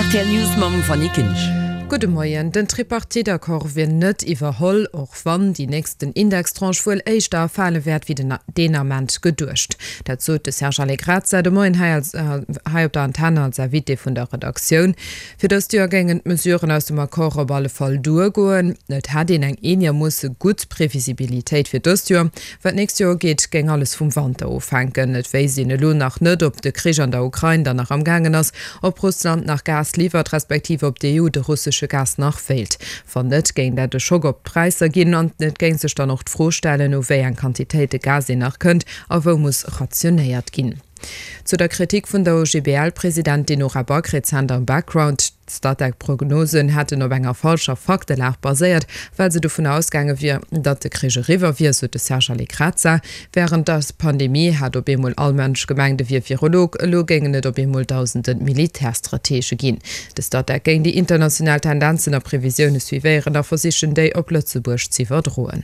Rtl News mam Fanny Kinsch. Gudde Moien. Den Tripartite-Accord wier net iwwerholl, och wann déi nächsten Indextranche wuel éischter erfale wäert wéi den deen Ament geduecht. Dat sot de Serge Allegrezza de Moien hei als hei op der Antenn als Invité vun der Redaktioun. Fir dëst Joer géingen d'Mesuren aus dem Accord op alle Fall duergoen. Et hätt een eng eenermoosse gutt Previsibilitéit fir dëst Joer. Wat d'nächst Joer ugeet, géing alles vum Wanter ofhänken. Et wéisst een elo nach net, ob de Krich an der Ukrain dann nach am gaangen ass, ob Russland nach Gas liwwert, respektiv ob d'EU de russesche Gas nach wéilt. Wann net, géing dat e Schock op d'Präisser ginn an et géing sech dann och d'Fro stellen, u wéi eng Quantitéite Gas een nach kënnt a wou muss rationéiert ginn. Zu der Kritik vun der OGBL-Presidentin Nora Back rezent am Background, D'Statec-Prognosen hätten op enger falscher Faktelag baséiert, well se dovun ausgaange wier, datt de Krich eriwwer wier, sot de Serge Allegrezza. Wärend der Pandemie hat op eemol all Mënsch gemengt, e wier Virolog. Elo géingen et op eemol dausende Militärstratege ginn. De Statec géing déi international Tendenzen a Previsioune suivéieren a versichen, déi op Lëtzebuerg z'iwwerdroen.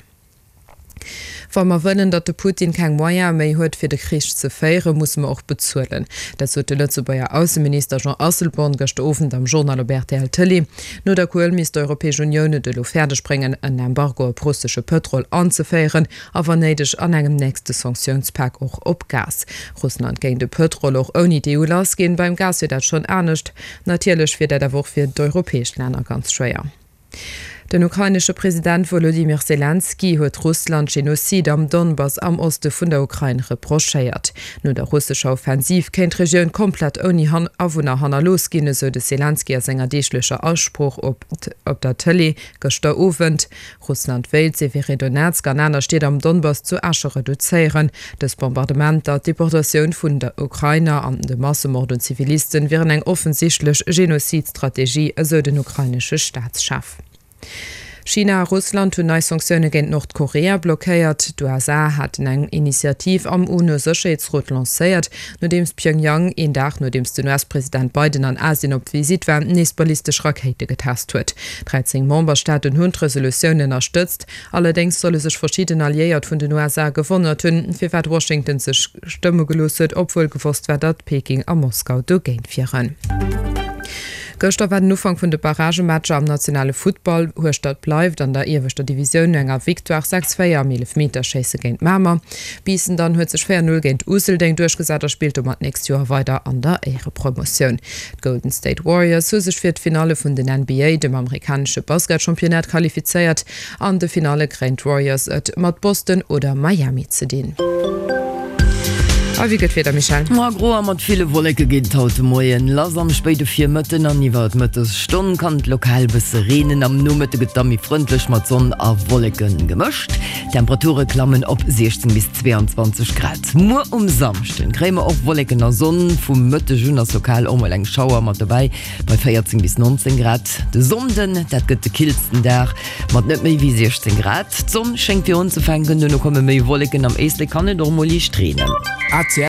Wa mer wëllen, datt de Putin keng Moyene méi huet, fir de Krich ze féieren, musse mer och bezuelen. Dat sot de Lëtzebuerger Ausseminister Jean Asselborn gëschter Owend am Journal op rtl Tëlee. No der Kuel misst d'Europäesch Unioun et elo fäerdeg bréngen, en Embargo op russesche Pëtrol anzeféieren a wann néideg an engem nächste Sanktiounspak och op Gas. Russland géing de Pëtrol och ouni d'EU lassginn. Beim Gas wier dat schonn anescht. Natierlech wier dat awer och fir d'europäesch Länner ganz schwéier. Den ukrainesche President Wolodymyr Selenskyj huet Russland Genozid am Donbass am Oste vun der Ukrain reprochéiert. No der russescher Offensiv kéint d'Regioun komplett ouni Awunner hannerlooss ginn, esou de Selenskyj a senger deeglecher Asprooch op op der Tëlee gëschter Owend. Russland wéilt Severedonetsk an aner Stied am Donbass zu Äsche reduzéieren. Dës Bombardementer, d'Deportatioun vun der Ukrainer an de Massemord un Zivilisten wieren eng offensichtlech Genozid-Strategie, esou den ukrainesche Staatschef. China a Russland hunn nei Sanktioune géint Nordkorea blockéiert. D'USA haten eng Initiativ am UNO-Sécherheetsrot lancéiert, nodeems Pjöngjang, een Dag nodeems den US-President Biden an Asien op Visitt war, nees ballistesch Rakéite getest huet. 13 Memberstaaten hunn d'Resolutioun ënnerstëtzt. Allerdéngs solle sech verschidden Alliéiert vun den USA gewonnert hunn, firwat Washington sech stëmme gelooss huet, obwuel gewosst war, datt Peking a Moskau dogéint wieren. Gëschter war den Ufank vun de Barragematcher am nationale Futtball. Hueschtert bleift an der ieweschter Divisioun no enger Victoire 6, 4 am Eelefmeterschéisse géint Mamer. Biissen dann huet sech 4, 0 géint Useldeng duerchgesat a spillt domat d'nächst Joer weider an der Éierepromotioun. D'Golden State Warriors hu sech fir d'Finalle vun den NBA, dem amerikanesche Basketchampionnat, qualifizéiert. An de Finalle kréien d'Warriors et mat Boston oder Miami ze dinn. A wéi gëtt d'Wieder, Michèle? Ma gro a mat ville Wolleke geet et haut de Moien lass. Am spéide Virmëtten an iwwer d'Mëttesstonn kann et lokal e bësse reenen. Am Nomëtte gëtt et da méi frëndlech mat Sonn a Wolleke gemëscht. D'Temperature klammen op 16 bis 22 Grad. Muer um Samschden kréie mer och Wolleken a Sonn, vum Mëtteg un ass lokal och mol eng Schauer mat dobäi bei 14 bis 19 Grad. De Sonnden, dat gëtt de killsten Dag mat net méi wéi 16 Grad. D'Sonn schéngt fir unzefänken, duerno komme méi Wolleken, am Éislek kann et och mol liicht reenen.